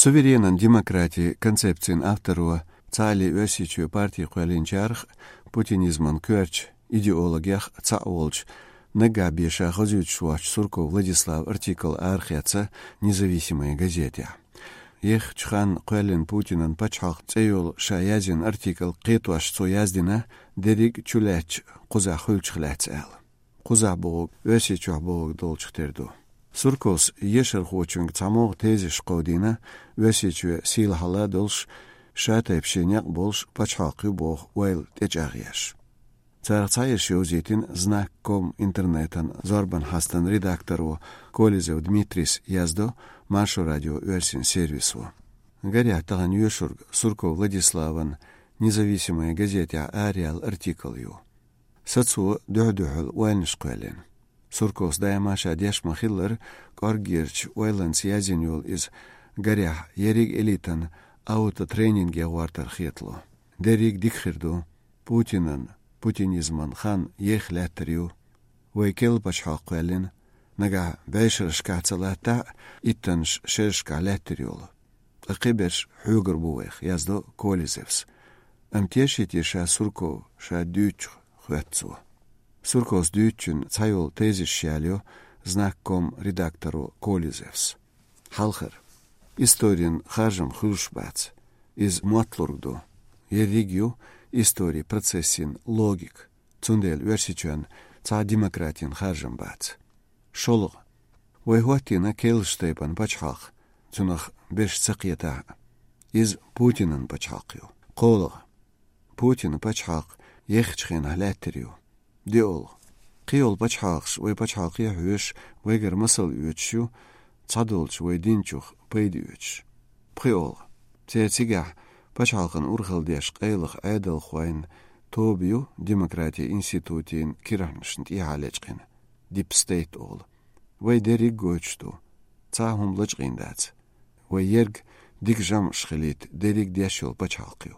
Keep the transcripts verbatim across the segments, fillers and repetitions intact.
Суверенан демократин концепцин авторо, цхьаалле Оьрсийчоь парти кхоьллинчарах, путинизман коьртачу идеологех цхьаъ волчу, наггахь беша хазуьйтуш воцчу Сурков Владиславан артикл арахецна «Независимая газетехь». Ехачу ханна кхоьллина Путинан пачхьалкх цӀе йолу ша язйина артикл кхетош цо яздина, дерриг а чулаьцначу кхузахь хуьлучух лаьцна аьлла. Кхузахь бохург Оьрсийчохь бохург долчух тера ду. Сурковс ешархочуьнга цхьамогӀа тезисаш кховдийна, Оьрсийчоь сийлахьалла долуш, ша тайпа шен некъ болуш пачхьалкх ю боху ойла тӀечӀагӀъеш. Царах цхьаерш йовзийтина Знак ком интернетан зорбан хьостан редакторо Колезев Дмитрийс, яздо Маршо радион оьрсийн сервисо. Гарехь, тахана йоьшург Сурков Владиславан «Независимая газетехь» араяьлла артикл ю. Сацо дуьхь-дуьхьал ойланаш кхоьллина. Сурковс даима ша деш ма-хиллара, кӀорггерчу ойланца язйина йолу иза, гарехь, ерриг элитан аутотренинге гӀортар хетало. Дерриг дика хир ду. Путинан, путинизман хан еха лаьттар ю. Вай керла пачхьалкх кхоьллина, нагахь бӀешерашкахь ца латтахь а, иттаннаш шерашкахь лаьттар йолу. Ткъа кхиберш хьоьгур бу вайх, яздо Колезевс. Амма теший те ша Сурков, ша дуьйцучух, хоьтту цо. Сурковс дуьйцучун цхьайолу тезисаш ялайо Знак ком редакторо Колезевс. Хьалхара. Историн харжам хуьлуш бац. Иза мотталург ду. Ерриг ю историн процессин логика. Цундела Оьрсийчоьнна цхьа демократин харжам бац. ШолгӀа. Вай хӀоттийна керлачу тайпана пачхьалкх, цунах берш ца кхетахь а. Иза Путинан пачхьалкх ю. КхоалгӀа. Путинан пачхьалкх ехачу хенахь лаьттар ю. ДоьалгӀа. Кхийолу пачхьалкхаш вай пачхьалкхе а хьоьжуш, вайгара масал оьцуш ю, цхьадолчу вай динчух пайда оьцуш. ПхоьалгӀа. Церан цигахь пачхьалкхана урхалла деш къайлаха Ӏедалхойн тоба ю демократин институтийн кирхьанашна тӀехьа лечкъина, дипстейт олу. Вай дерриг гойтуш ду. Цхьа хӀума лачкъийна дац. Вай ерг дика жамӀаш хилийта дерриг деш йолу пачхьалкх ю.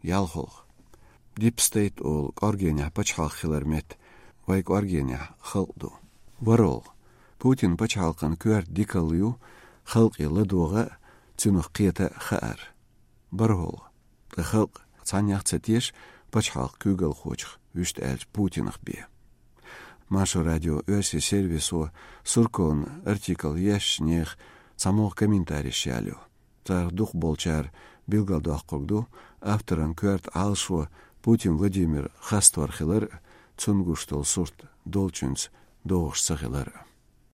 ЯлхолгӀа. Дипстейт олу кӀоргенехь пачхьалкх хилар метта, вай кӀоргенехь халкъ ду. ВорхӀалгӀа. Путин пачхьалкхан коьрта дикалла ю, халкъе ладогӀа а, цунах кхета а хаар. БархӀолгӀа. Ткъа халкъ цхьаннех ца теша пачхьалкх куьйгалхочух, вуьшта аьлча Путинах бен. Маршо радион оьрсийн сервисо Сурковн артикл ешначу нехан цхьамогӀа комментареш ялайо. Царах дукхахболчара билгалдоккхург ду, авторан коьрта Ӏалашо Путин Владимир хастор хилар а, цунна гуш долу сурт долчуьнца догӀуш ца хилар а.